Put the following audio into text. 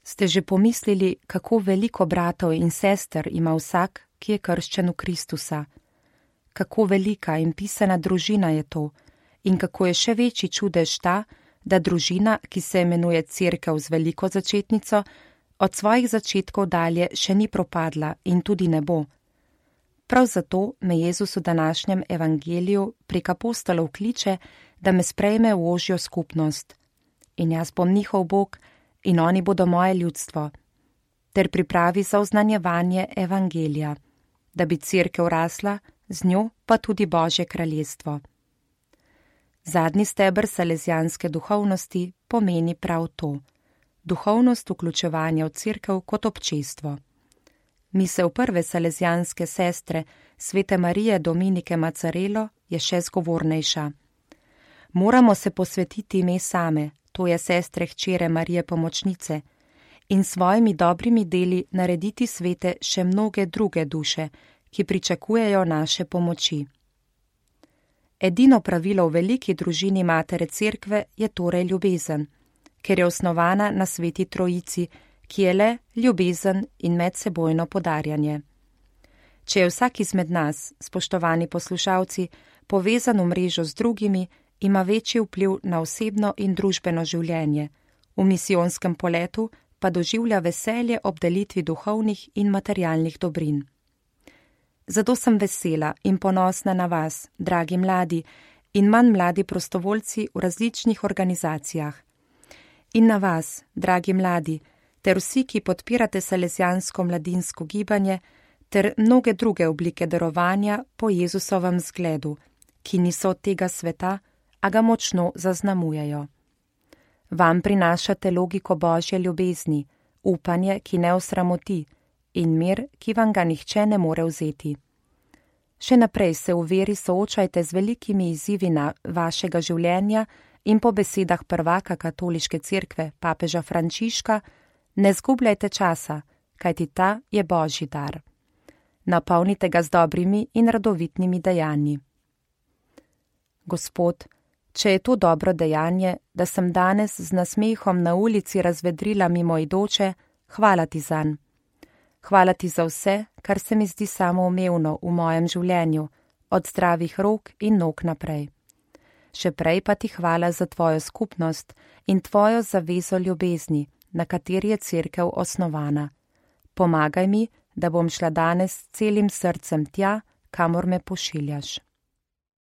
Ste že pomislili, kako veliko bratov in sester ima vsak, ki je krščen v Kristusa? Kako velika in pisana družina je to in kako je še večji čudež ta, da družina, ki se imenuje Cerkev z veliko začetnico, od svojih začetkov dalje še ni propadla in tudi ne bo. Prav zato me Jezus v današnjem evangeliju prek apostolov kliče, da me sprejme v ožjo skupnost. In jaz bom njihov Bog in oni bodo moje ljudstvo, ter pripravi za oznanjevanje evangelija, da bi Cerkev rasla, z njo pa tudi Božje kraljestvo. Zadnji steber salezijanske duhovnosti pomeni prav to, duhovnost vključevanja v Cerkev kot občestvo. Misel prve salezijanske sestre, svete Marije Dominike Macarelo, je še zgovornejša. Moramo se posvetiti ime same, to je sestre hčere Marije Pomočnice, in svojimi dobrimi deli narediti svete še mnoge druge duše, ki pričakujejo naše pomoči. Edino pravilo v veliki družini Matere Cerkve je torej ljubezen, ker je osnovana na Sveti Trojici, ki je le ljubezen in medsebojno podarjanje. Če je vsak izmed nas, spoštovani poslušalci, povezan v mrežo z drugimi, ima večji vpliv na osebno in družbeno življenje, v misijonskem poletu pa doživlja veselje ob delitvi duhovnih in materialnih dobrin. Zato sem vesela in ponosna na vas, dragi mladi in manj mladi prostovoljci v različnih organizacijah. In na vas, dragi mladi, ter vsi, ki podpirate salezijansko mladinsko gibanje, ter mnoge druge oblike darovanja po Jezusovem zgledu, ki niso od tega sveta, a ga močno zaznamujejo. Vam prinašate logiko Božje ljubezni, upanje, ki ne osramoti, in mir, ki vam ga nihče ne more vzeti. Še naprej se v veri soočajte z velikimi izzivi vašega življenja in po besedah prvaka katoliške cerkve, papeža Frančiška, ne zgubljajte časa, kajti ta je Božji dar. Napolnite ga z dobrimi in radovitnimi dejanji. Gospod, če je to dobro dejanje, da sem danes z nasmehom na ulici razvedrila mimoidoče, hvala ti zanj. Hvala ti za vse, kar se mi zdi samoumevno v mojem življenju, od zdravih rok in nog naprej. Še prej pa ti hvala za tvojo skupnost in tvojo zavezo ljubezni, na kateri je Cerkev osnovana. Pomagaj mi, da bom šla danes celim srcem tja, kamor me pošiljaš.